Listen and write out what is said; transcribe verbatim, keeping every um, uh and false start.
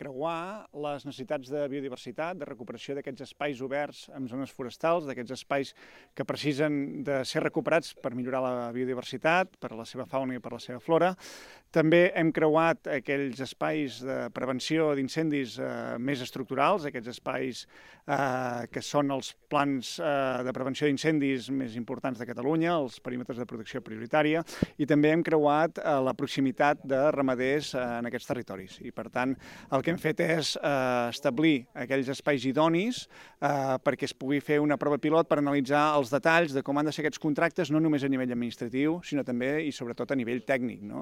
creuar les necessitats de biodiversitat, de recuperació d'aquests espais oberts amb zones forestals, d'aquests espais que precisen de ser recuperats per millorar la biodiversitat, per la seva fauna i per la seva flora. També hem creuat aquells espais de prevenció d'incendis eh, més estructurals, aquests espais eh, que són els plans eh, de prevenció d'incendis més importants de Catalunya, els perímetres de protecció prioritària, i també hem creuat eh, la proximitat de ramaders eh, en aquests territoris. I, per tant, el que hem fet és eh, establir aquells espais idonis eh, perquè es pugui fer una prova pilot per analitzar els detalls de com han de ser aquests contractes, no només a nivell administratiu, sinó també i sobretot a nivell tècnic, no?